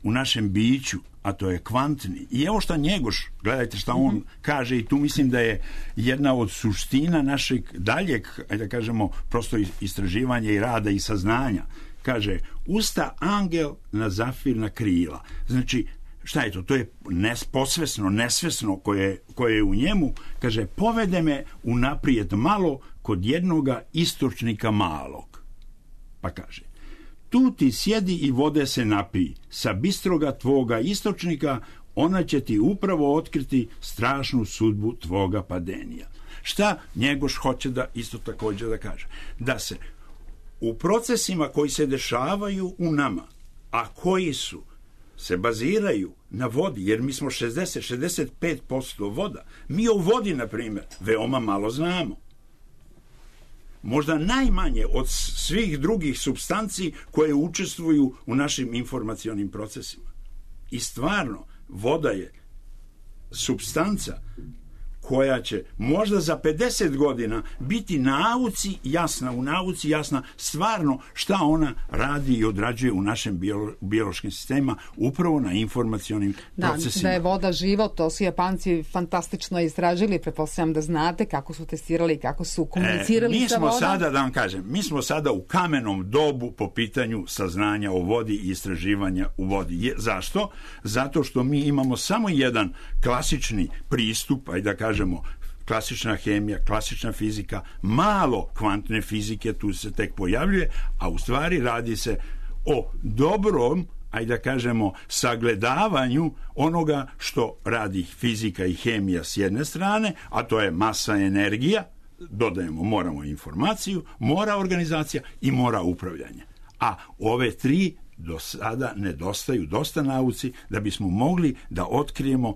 u našem biću, a to je kvantni. I evo šta Njegoš, gledajte šta on kaže, i tu mislim da je jedna od suština našeg daljeg, ajde da kažemo, prosto istraživanja i rada i saznanja. Kaže, usta angel na zafirna krila. Znači, šta je to? To je posvesno, nesvesno koje je u njemu. Kaže, povede me unaprijed malo kod jednoga istočnika malog. Pa kaže, tu ti sjedi i vode se napij. Sa bistroga tvoga istočnika ona će ti upravo otkriti strašnu sudbu tvoga padenija. Šta Njegoš hoće da isto također da kaže? Da se u procesima koji se dešavaju u nama, a koji se baziraju na vodi, jer mi smo 60-65% voda. Mi o vodi, na primjer, veoma malo znamo. Možda najmanje od svih drugih supstanci koje učestvuju u našim informacionim procesima. I stvarno, voda je supstanca koja će možda za 50 godina biti u nauci jasna stvarno šta ona radi i odrađuje u našem biološkim sistemima, upravo na informacionim procesima. Da je voda život, to su Japanci fantastično istražili, pretpostavljam da znate kako su testirali, kako su komunicirali sa vodom. Sada, da vam kažem, mi smo sada u kamenom dobu po pitanju saznanja o vodi i istraživanja u vodi. Zašto? Zato što mi imamo samo jedan klasični pristup, ajde da kažemo, klasična hemija, klasična fizika, malo kvantne fizike tu se tek pojavljuje, a u stvari radi se o dobrom, ajde da kažemo, sagledavanju onoga što radi fizika i hemija s jedne strane, a to je masa, energija, dodajemo, moramo informaciju, mora organizacija i mora upravljanje. A ove 3 do sada nedostaju dosta nauci da bismo mogli da otkrijemo,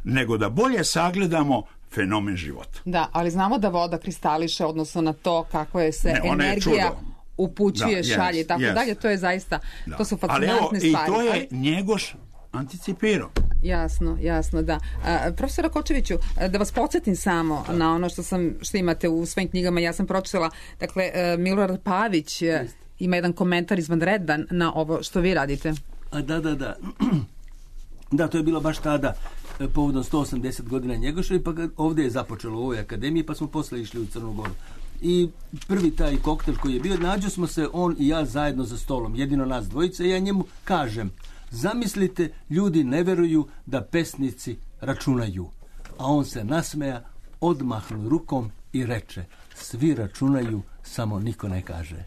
nego da bolje sagledamo fenomen života. Da, ali znamo da voda kristališe, odnosno na to kako je se energija upućuje, šalje i tako dalje. To je zaista, to su fascinantne stvari. I to je Njegoš anticipirao. Jasno, da. Profesora Kočeviću, da vas podsjetim samo na ono što imate u svojim knjigama, ja sam pročitala, dakle, Milorad Pavić ima jedan komentar izvanredan na ovo što vi radite. Da. Da, to je bilo baš tada povodom 180 godina Njegoša, pa ovdje je započelo u ovoj akademiji, pa smo posle išli u Crnu Goru. i prvi taj koktel koji je bio, nađu smo se on i ja zajedno za stolom, jedino nas dvojice, i ja njemu kažem, zamislite, ljudi ne veruju da pesnici računaju. A on se nasmeja, odmahnu rukom i reče, svi računaju, samo niko ne kaže.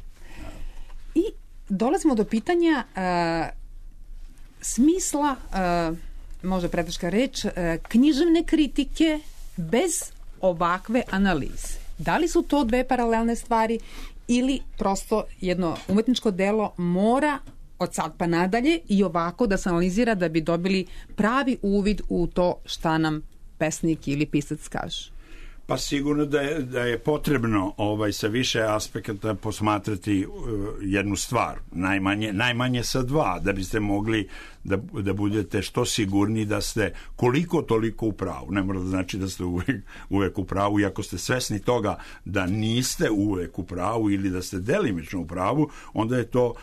I dolazimo do pitanja smisla, možda preteška reč, književne kritike bez ovakve analize. Da li su to dve paralelne stvari ili prosto jedno umetničko delo mora od sad pa nadalje i ovako da se analizira da bi dobili pravi uvid u to šta nam pesnik ili pisac kaže? Pa sigurno da je potrebno sa više aspekata posmatrati jednu stvar, najmanje sa dva, da biste mogli da budete što sigurni da ste koliko toliko u pravu. Ne mora da znači da ste uvek u pravu, i ako ste svesni toga da niste uvek u pravu ili da ste delimično u pravu, onda je to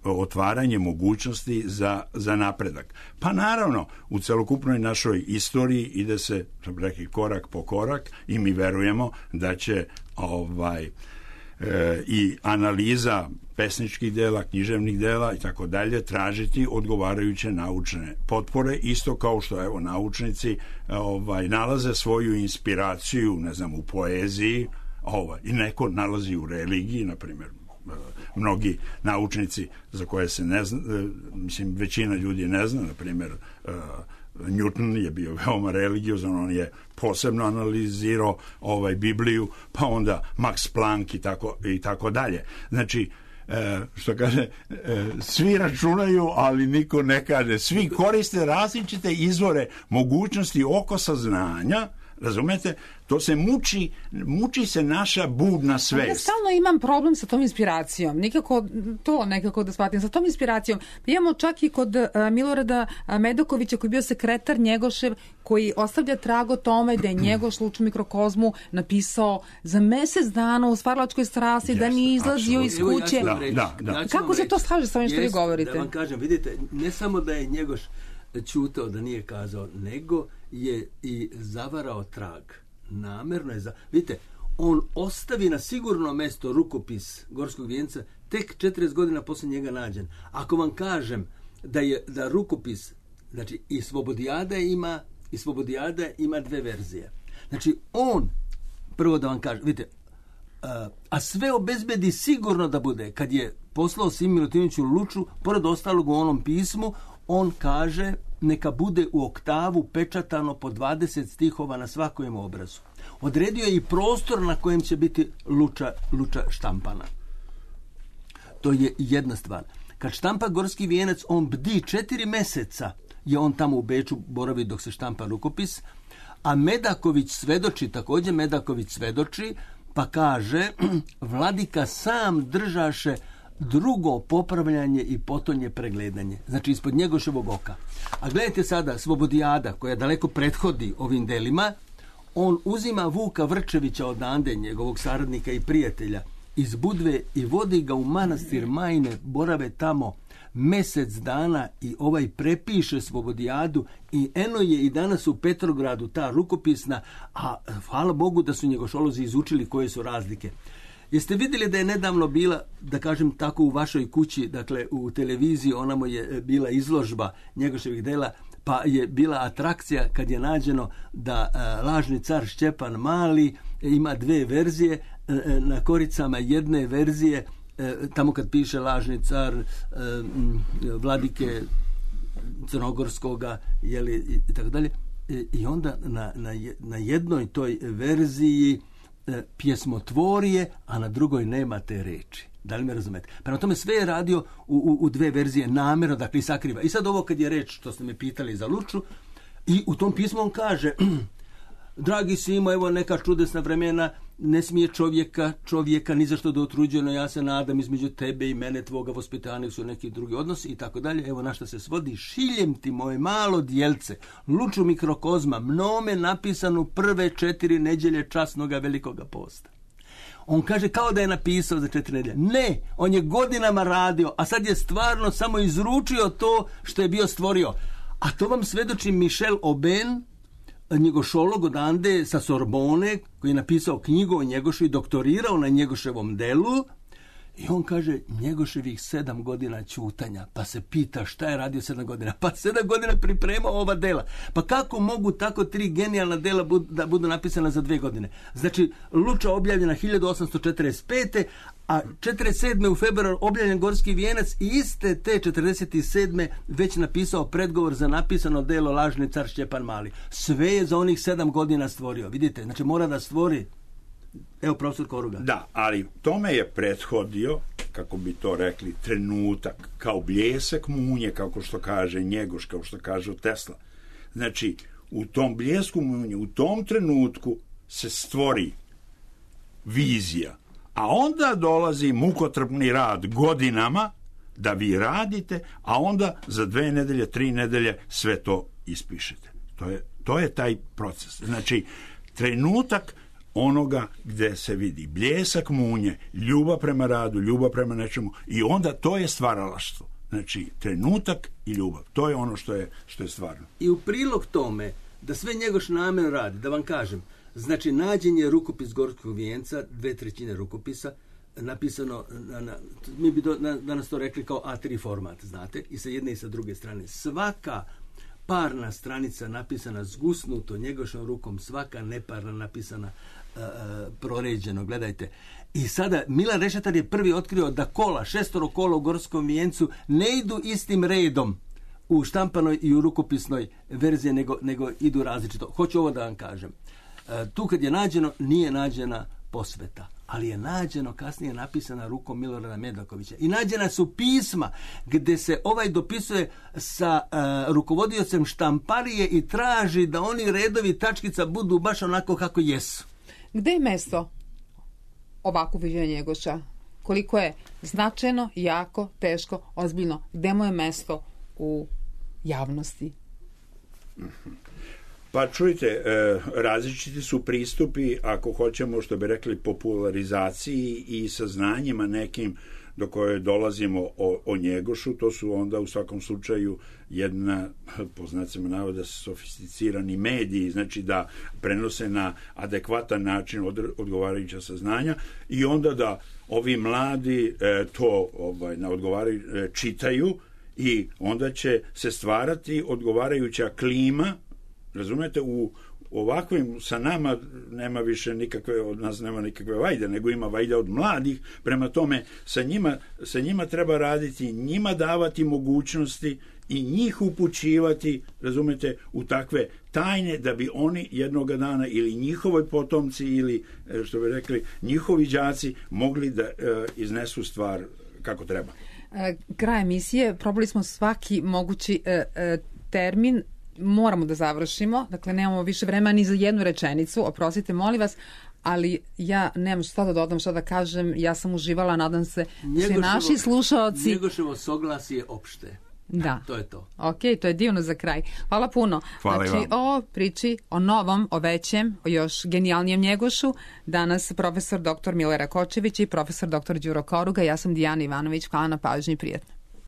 otvaranje mogućnosti za napredak. Pa naravno, u celokupnoj našoj istoriji ide se, što bi rekli, korak po korak, i mi verujemo da će i analiza pesničkih dela, književnih dela i tako dalje tražiti odgovarajuće naučne potpore, isto kao što naučnici nalaze svoju inspiraciju, ne znam, u poeziji, i neko nalazi u religiji, na primjer. Mnogi naučnici za koje se ne zna, mislim, većina ljudi ne zna, na primjer, Newton je bio veoma religiozan, on je posebno analizirao Bibliju, pa onda Max Planck i tako dalje. Znači, što kaže, svi računaju, ali niko ne kaže. Svi koriste različite izvore mogućnosti oko saznanja. Razumete? To se muči se naša budna svest. Ja stalno imam problem sa tom inspiracijom. Nekako da shvatim. Sa tom inspiracijom. Imamo čak i kod Milorada Medakovića, koji je bio sekretar Njegošev, koji ostavlja trag o tome da je Njegoš Luču mikrokozmu napisao za mesec dana u Stvaralačkoj strasti, da nije izlazio iz kuće. Kako se to slaže sa ovim što vi govorite? Da vam kažem, vidite, ne samo da je Njegoš ćutao, da nije kazao, nego je i zavarao trag. Namerno je vidite, on ostavi na sigurno mesto rukopis Gorskog vijenca tek 40 godina posle njega nađen. Ako vam kažem da rukopis, znači i Slobodijada ima dve verzije. Znači on, prvo da vam kažem, vidite, a sve obezbedi sigurno da bude, kad je poslao Simi Milutinoviću Luču, pored ostalog u onom pismu, on kaže neka bude u oktavu pečatano po 20 stihova na svakom obrazu. Odredio je i prostor na kojem će biti Luča štampana. To je jedna stvar. Kad štampa Gorski vijenac, on bdi 4 meseca, je on tamo u Beču boravi dok se štampa rukopis, a Medaković svedoči, pa kaže, vladika sam držaše drugo popravljanje i potonje pregledanje. Znači ispod Njegoševog oka. A gledajte sada, Slobodijada, koja daleko prethodi ovim delima, on uzima Vuka Vrčevića odande, njegovog saradnika i prijatelja, iz Budve i vodi ga u manastir Majne, borave tamo mesec dana i prepiše Slobodijadu, i eno je i danas u Petrogradu ta rukopisna, a hvala Bogu da su njegošolozi izučili koje su razlike. Jeste vidjeli da je nedavno bila, da kažem tako, u vašoj kući, dakle u televiziji, onamo je bila izložba Njegoševih dela, pa je bila atrakcija kad je nađeno da lažni car Šćepan Mali ima dve verzije, na koricama jedne verzije, tamo kad piše lažni car vladike Crnogorskoga, i tako dalje, i onda na jednoj toj verziji pjesmotvorije, a na drugoj nema te reči. Da li me razumete? Prema tome sve je radio u dve verzije namjerno, dakle i sakriva. I sad ovo kad je reč, što ste me pitali za Luču, i u tom pismu on kaže, dragi Simo, evo neka čudesna vremena, ne smije čovjeka ni zašto da otruđuje, no ja se nadam između tebe i mene, tvoga vaspitanja su neki drugi odnosi i tako dalje. Evo na šta se svodi, šiljem ti moje malo djelce, Luču mikrokozma, mnome napisanu prve 4 nedjelje časnoga velikoga posta. On kaže kao da je napisao za 4 nedjelje. Ne, on je godinama radio, a sad je stvarno samo izručio to što je bio stvorio. A to vam svedoči Michel Aubin, njegošolog odande sa Sorbone, koji je napisao knjigu o Njegošu i doktorirao na Njegoševom delu, i on kaže Njegoševih 7 godina ćutanja, pa se pita šta je radio 7 godina, pa 7 godina pripremao ova dela. Pa kako mogu tako 3 genijalna dela da budu napisana za 2 godine? Znači, Luča objavljena 1845. a 47. u februar objavljen Gorski vijenac i iste te 47. već napisao predgovor za napisano delo Lažni car Šćepan Mali. Sve je za onih 7 godina stvorio. Vidite, znači mora da stvori. Evo, profesor Koruga. Da, ali tome je prethodio, kako bi to rekli, trenutak, kao bljesak munje, kako što kaže Njegoš, kao što kaže Tesla. Znači, u tom bljesku munje, u tom trenutku se stvori vizija, a onda dolazi mukotrpni rad godinama da vi radite, a onda za 2 nedelje, 3 nedelje sve to ispišete. To je taj proces. Znači, trenutak onoga gde se vidi bljesak munje, ljubav prema radu, ljubav prema nečemu, i onda to je stvaralaštvo. Znači, trenutak i ljubav. To je ono što je stvarno. I u prilog tome da sve Njegoš namerno radi, da vam kažem, znači nađen je rukopis Gorskog vijenca, 2/3 rukopisa, napisano, mi bi danas to rekli kao A3 format, znate, i sa jedne i sa druge strane. Svaka parna stranica napisana zgusnuto Njegošom rukom, svaka neparna napisana proređeno, gledajte. I sada Milan Rešetar je prvi otkrio da 6 kola u Gorskom vijencu ne idu istim redom u štampanoj i u rukopisnoj verziji, nego idu različito. Hoću ovo da vam kažem. Tu kad je nađeno, nije nađena posveta, ali je nađeno kasnije napisana rukom Milorada Medakovića. I nađena su pisma gde se ovaj dopisuje sa rukovodiocem štamparije i traži da oni redovi tačkica budu baš onako kako jesu. Gde je mesto ovako viđenja Njegoša? Koliko je značajno, jako, teško, ozbiljno? Gde mu je mesto u javnosti? Pa čujte, različiti su pristupi, ako hoćemo, što bi rekli, popularizaciji i saznanjima nekim do koje dolazimo o Njegošu. To su onda u svakom slučaju jedna, po znacima navoda, sofisticirani mediji, znači da prenose na adekvatan način odgovarajuća saznanja, i onda da ovi mladi to na čitaju, i onda će se stvarati odgovarajuća klima. Razumete, u ovakvim sa nama nema više nikakve, od nas nema nikakve vajde, nego ima vajde od mladih. Prema tome, sa njima treba raditi, njima davati mogućnosti i njih upućivati, razumete, u takve tajne, da bi oni jednoga dana, ili njihovi potomci, ili, što bi rekli, njihovi đaci mogli da iznesu stvar kako treba. Kraj emisije, probali smo svaki mogući termin, moramo da završimo, dakle nemamo više vremena ni za jednu rečenicu, oprostite, molim vas, ali ja nemam šta da dodam, šta da kažem, ja sam uživala, nadam se svi naši slušaoci. Njegoševo soglasje je opšte. Da. To je to. Ok, to je divno za kraj. Hvala puno. Hvala znači, o priči, o novom, o većem, o još genijalnijem Njegošu, danas profesor dr. Milera Kočević i profesor dr. Đuro Koruga, ja sam Dijana Ivanović, hvala na pažnji i prijatno.